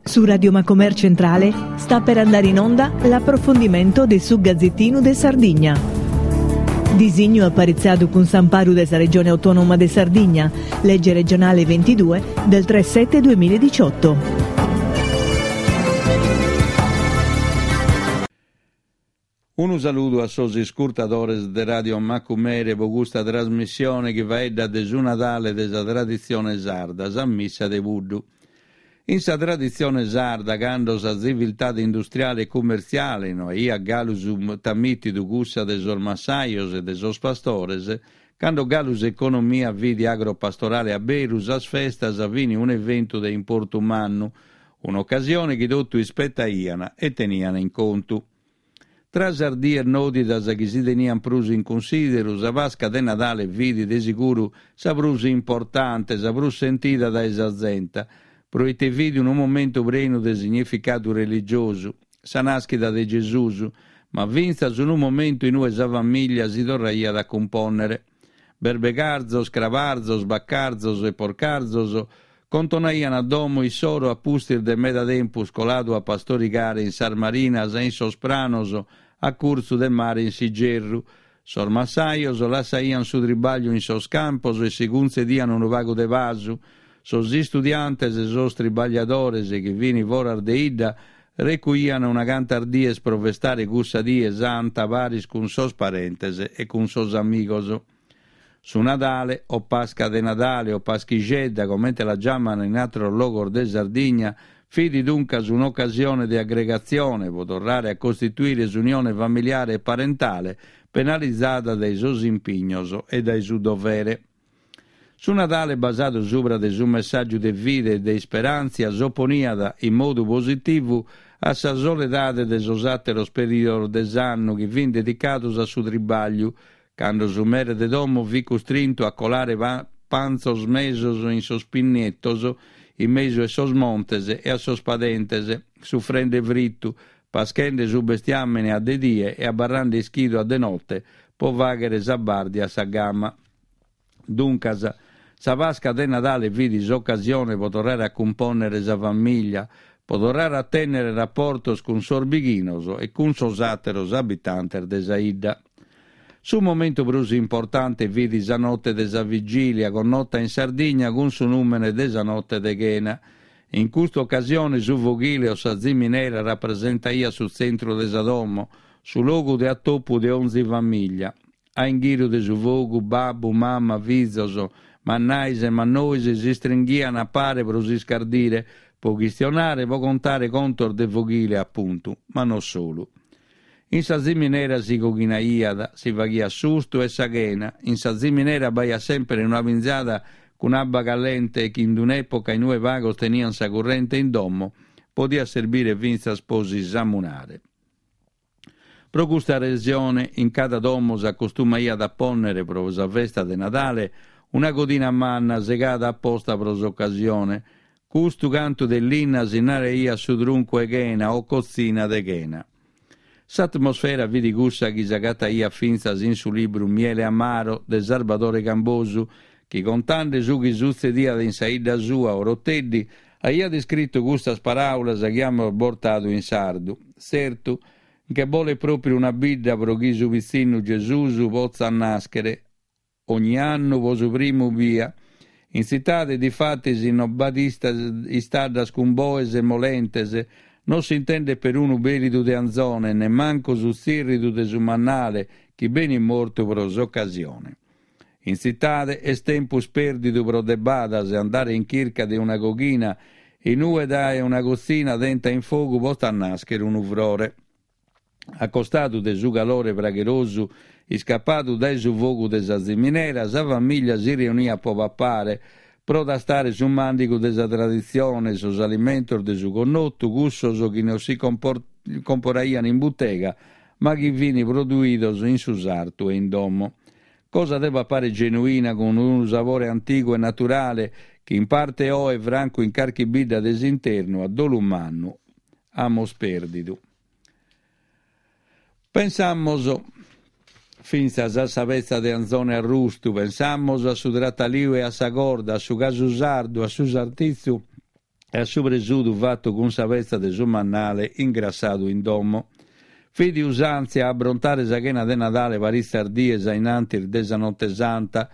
Su Radio Macomer Centrale sta per andare in onda l'approfondimento de su Gazzettinu de Sardigna. Disignu aparitzadu cun s'amparu de sa Regione Autonoma de Sardigna, legge regionale 22 del 3 7 2018. Unu saludu a sos iscurtadores de Radio Macumere pro custa trasmissione chi faeddat de su Nadale de sa traditzione sarda, sa missa de puddu. In sa traditzione sarda, cando sa tziviltade industriale e cummertziale no aiat galu sutamìtidu cussa de sos massajos e de sos pastores, cando galu s'economia fit agropastorale a beru, sas festas fin un'eventu de importu mannu, un'ocasione chi totu ispetaian e tenian in contu. Tra sas dies nòdidas chi si tenian prus in cunsìderu, sa Pasca de Nadale fit de siguru sa prus importante, sa prus sentida dae sa zente, proite fit unu momentu prenu de significadu religiosu, sa nàschida de Gesùs, ma fintzas unu momentu in ue sa famìllia si torraiat a cumpònnere. Berbegarzos, crabarzos, bacarzos e porcarzos contonaian a domo issoro a pustis de meda tempus coladu a pastorigare in sas marinas e in sos pranos a curtzu de mare in s'igerru. Sos massajos lassaian su tribagliu in sos campos e si cuntzedian unu pagu de pasu. Sos istudiantes e sos tribagliadores chi fin foras de 'idda recuian una cantas dies pro festare cussa die santa paris cun sos parentes e cun sos amigos. Su Nadale, o Pasca de Nadale o Paschixedda, comente la giaman in àteros logos de Sardigna, fit duncas un'ocasione de aggregatzione pro torrare a costituire s'unione familiare e parentale penalizada dae sos impignos e dae su dovere. Su Nadale basadu subra de su messàgiu de fide e de isperàntzia s'oponiat in modu positivu a sa soledade de sos àteros perìodos de s'annu chi fin dedicados a su tribàgliu, cando su mere de domo fit custrintu a colare pantzos mesos in sos pinnetos in mesu 'e sos montes e a sos padentes, sufrende fritu, paschende su bestiàmene a de die e abarrende ischidu a de note pro fàghere sa bàrdia a sa gama. Duncas, sa Pasca de Nadale fit s'ocasione pro torrare a cumpònnere sa famìllia, pro torrare a tènnere raportos cun sos bighinos e cun sos àteros abitantes de sa 'idda. Su momentu prus importante fit sa note de sa vigìlia, connota in Sardigna cun su nùmene de sa note de chena. In custa ocasione su foghile o sa ziminera rapresentaiat su tzentru de sa domo, su logu de atopu de onzi famìllia. A inghìriu de su fogu, babbu, mama, fizos, mannais e mannois s'istringhian a pare pro s'iscardire, pro chistionare, pro contare contos de foghile, apuntu, ma no solu. In sa ziminera si coghinaiat, si faghiat s'ustu e sa chena, in sa ziminera b'aiat semper una pinzada cun abba callente chi in un'època in ue pagos tenian sa currente in domo, podiat serbire fintzas pro si samunare. Pro custa resione in cada domo s'acostumaiat a pònnere pro sa festa de Nadale una codina manna segada aposta pro s'ocasione. Custu cantu de linna si naraiat su truncu 'e chena o cotzina de chena. S'atmosfera fit cussa chi s'agataiat fintzas in su libru Miele Amaro de Sarbadore Cambosu, chi contande su chi sutzediat in sa 'idda sua, Oroteddi, Aiat iscritu custas paràulas chi amus bortadu in sardu, Tzertu, nche bolet pròpriu una bidda pro chi su pitzinnu Gesùs potzat nàschere, ogni annu pro su primu bia. In tzitade, difatis, non b'at istaddas cun boes e molentes, non s'intendet perunu bèlidu de anzone, nemmancu su tzìrridu de su mannale chi benit mortu pro s'ocasione. In tzitade est tempus pèrdidu pro de badas e andare in chirca de una coghina in ue dae una cotzina tenta in fogu potzat nàschere unu frore. A costadu de su calore pragherosu iscapadu dae su fogu de sa ziminera, sa famìllia si reuniat pro papare, pro tastare su màndigu de sa traditzione, sos alimentos de su connotu, cussos chi non si comporaian in butega ma chi fin produidos in su sartu e in domo. Cosa de papare genuina cun unu sabore antigu e naturale chi in parte oe, francu in carchi bidda de s'internu, a dolu mannu, amus pèrdidu. Pensamus fintzas a sa petza de anzone arrustu, pensamus a su trataliu e a sa corda, a su casu sardu, a su sartitzu. E a su presutu fatu cun sa petza de su mannale ingrassadu in domo. Fit usàntzia a abrontare sa chena de Nadale paritzas dies a in antis de sa Note Santa,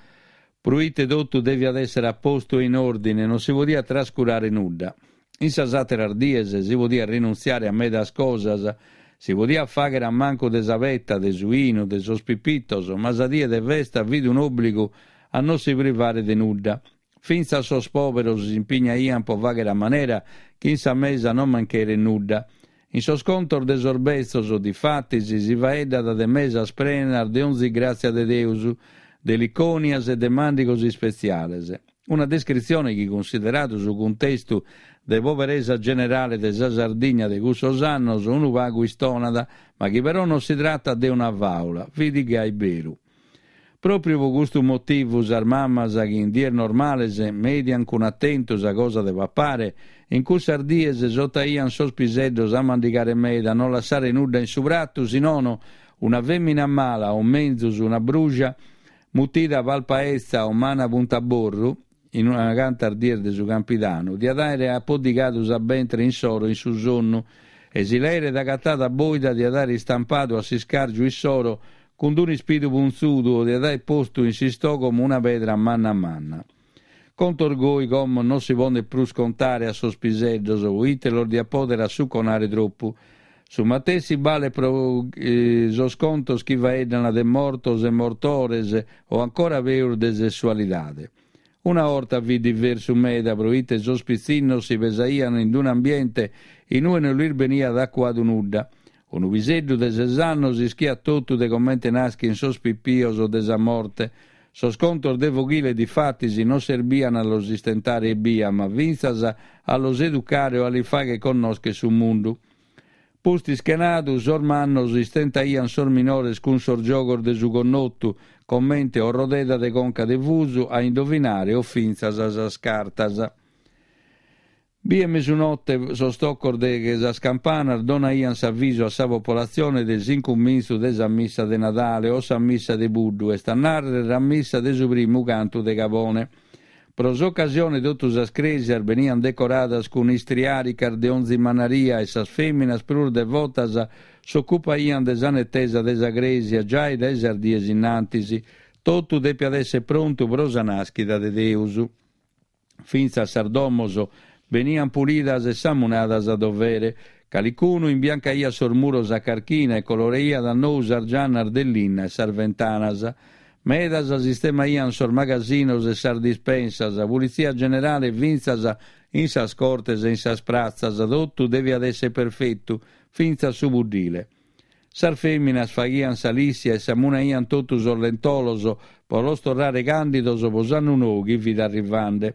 pruite totu deviat èssere a postu e in òrdine, non si podiat trascurare nudda. In sas àteras dies si podiat rinuntziare a medas cosas, si podiat fàghere a mancu de sa peta, de su 'inu, de sos pipitos, ma sa die de festa fit un'òbligu a non si privare de nudda. Fintzas sos pòberos s'impignaiant pro fàghere a manera chi in sa mesa non mancheret nudda. In sos contos de sos betzos, difatis, si faeddat de mesas prenas de onzi gràtzia de Deus, de licònias e de màndigos ispetziales. Una descritzione chi, cunsideradu su cuntestu de poberesa generale de sa Sardigna de cussos annos, unu pagu istonat, ma chi però non si tratat de una fàula, fit gai beru. Pròpriu pro custu motivu sas mamas chi in dies normales mediant cun atentu sa cosa de papare, in cussas dies esotaiant sos piseddos a mandigare meda, a non lassare nudda in su pratu, si nono una fèmina mala o menzus una bruja mutida palpaetza o mana puntaborru, in una cantas dies de su Campidanu, diat àere apoddigadu sa bentre insoro in su sonnu e si l'aeret agatada bòida diat àere istampadu a s'iscàrgiu issoro cun d'un'ispidu puntzudu o diat àere postu in s'istògomo una pedra manna manna. Contos goi como non si podent prus contare a sos piseddos, proite los diat pòdere assuconare tropu. Su matessi balet pro sos contos chi faeddan de mortos e mortores o ancora peus de sessualidade. Una 'orta fit diversu meda proite sos pitzinnos si pesaian in un'ambiente in ue non lis beniat acuadu nudda. Unu piseddu de ses annos ischiat totu de comente naschin sos pipios o de sa morte. Sos contos de foghile difatis non serbian a los istentare ebbia ma fintzas a los educare o a lis fagher connoscher su mundu. Pustis chenadu, sos mannos istentaian sos minores cun sos giogos de su connotu, comente orrodeda de conca de fusu, a indovinare o fintzas sas cartas. Bie mesunote sos tocos de sas campanas donaian s'avisu a sa popolatzione de s'incumintzu de sa missa de Nadale o sa missa de puddu, est a nàrrere sa missa de su primu cantu de cabone. Pro s'ocasione totu sas crèsias beniant decoradas cun istriàricas de onzi manaria e sas fèminas prus devotas s'ocupaiant de sa netesa de sa crèsia giai dae sas dies innantis. Totu depiat èssere prontu pro sa nàschida de Deus. Fintzas sas domos beniant pulidas e samunadas a dovere. Calicunu imbiancaiat sos muros a carchina e coloreiat a nou sas giannas de linna e sas ventanas. Medas sistemaiant sos magasinos e sas dispensas, pulitzia generale fintzas in sas cortes e in sas pratzas, totu deviat èssere perfetu, fintzas su puddile. Sas fèminas faghiant sa lissia e samunaiant totu sos lentolos pro los torrare càndidos pro s'annu nou chi fit arrivande.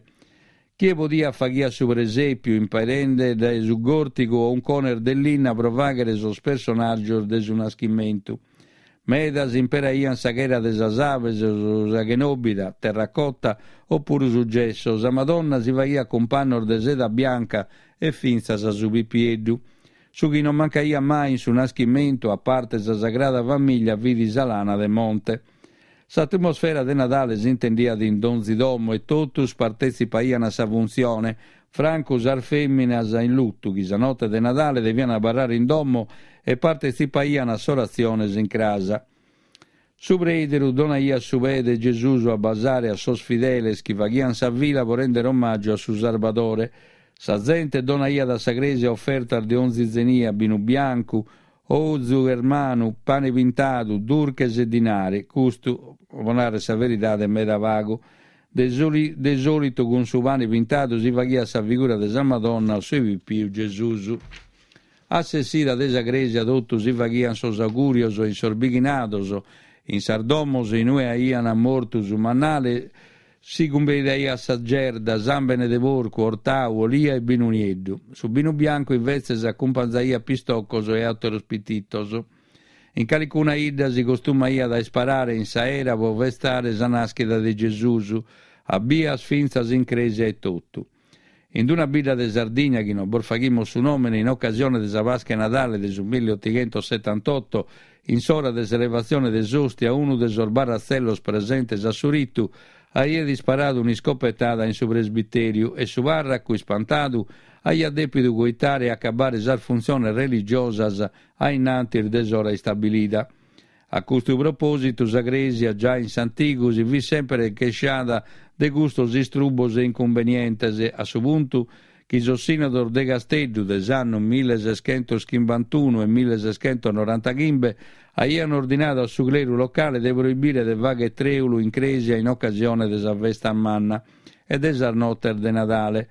Chie podiat faghiat su presèpiu imperende dae su gòrtigu o uncones de linna pro fàghere sos personàgios de su naschimentu. Medas imperaiant sa chera de sas abes o sa chenòbida, terracotta, o puru su gesso. Sa Madonna si faghiat cun pannos de seda bianca e fintzas su pipieddu. Su chi non mancaiat mai in su naschimentu, a parte sa Sagrada Famiglia, fit sa lana de monte. S'atmosfera de Nadale s'intendiat in donzi domo e totus partetzipaian a sa funtzione, francu sas fèminas in lutu chi sa note de Nadale devian abarrare in domo e partetzipaian a s'oratzione s'incras. Su preideru donaiat su pee de Gesùs a basare a sos fideles chi faghian sa fila pro rèndere omàgiu a su Sarbadore. Sa zente donaiat a sa crèsia ofertas de onzi zenia, binu biancu, Ozu ermanu, pane pintadu, durches e dinari, custu, pro nàrrere sa veridade, meda pagu. De de sòlitu cun su pane pintadu si faghiat sa figura de sa Madonna o su pipiu Gesùs. A s'essida de sa crèsia totu si faghiant sos augùrios in sos bighinados, in sas domos in ue aiant mortu su mannale, Si cumbidaiat sa gerda, sàmbene de porcu, ortau, olia e binu nieddu. Su binu biancu invetzes acumpanzaiat pistocos e àteros pititos. In calicuna 'idda si costumaiat a isparare in s'aera pro festare sa nàschida de Gesùs, a bias fintzas in crèsia etotu. In una bidda de Sardigna chi non bos faghimus su nòmene, in ocasione de sa Pasca 'e Nadale de su milliotighentosetantotto, in s'ora de s'elevatzione de s'òstia, unu de sos barratzellos presentes a su ritu. aiat isparadu un'iscopetada in su presbitèriu e su pàrracu, ispantadu, aiat dèpidu coitare e acabare sas funtziones religiosas a in antis de s'ora istabilida. A custu propòsitu sa Crèsia giai in s'antigu si fit semper chesciada de custos istrubos e incumbenientes, a su puntu chi sos sìnodos de Casteddu de s'annu millesescentoschimbantuno e millesescentonorantaghimbe aian ordinadu a su cleru locale de proibire de fagher trèulu in crèsia in ocasione de sa festa manna e de sas notes de Nadale.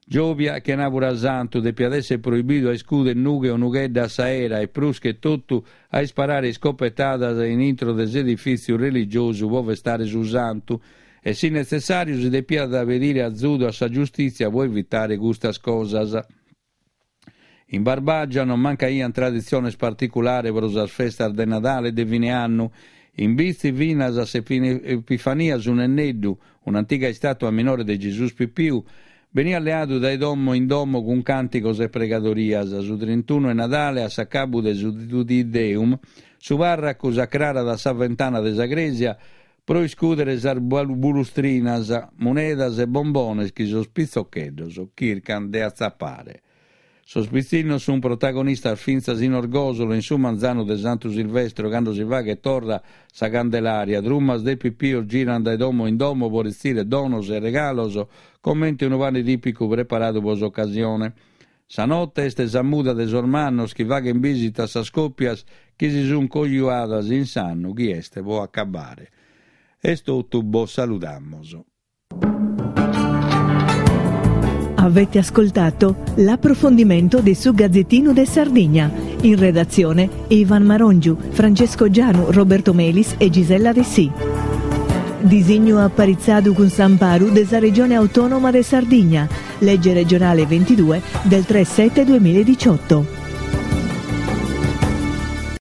Giòbia e chenàbura santu depiat èssere proibidu a iscuder nughe o nughedda a s'aera e prus che totu a isparare iscopetadas in intro de s'edifìtziu religiosu pro festare su santu e si netzessàriu si depiat pedire azudu a sa giustìtzia pro evitare custas cosas. In Barbàgia non mancaiant traditziones particulares pro sas festas de Nadale e de fine annu. In Bitzi finas a s'Epifania su Nenneddu, un'antiga istàtua minore de Gesùs Pipiu, beniat leadu dae domo in domo cun càntigos e pregadorias. Su trintunu 'e Nadale, a s'acabu de su Te Deum, su pàrracu s'acrarat a sa ventana de sa crèsia pro iscùdere sas bulustrinas, munedas e bombones chi sos pitzocheddos chircant de atzapare. Sos pitzinnos sunt protagonistas fintzas in Orgòsolo in su manzanu de Santu Silvestro cando si faghet torra sa Candelaria, trumas de pipios girant dae domo in domo pro retzire donos e regalos comente unu pane tìpicu preparadu pro s'ocasione. Sa note est sa muda de sos mannos chi faghent bìsita a sas còpias chi si sunt cojuadas in s'annu chi est pro acabare. Est totu, bos saludamus. Avete ascoltato l'approfondimento de su Gazzettino de Sardigna. In redazione Ivan Marongiu, Francesco Gianu, Roberto Melis e Gisella Dessì. Disignu aparitzadu cun s'amparu de sa Regione Autònoma de Sardigna, Legge regionale 22 del 3 7 2018.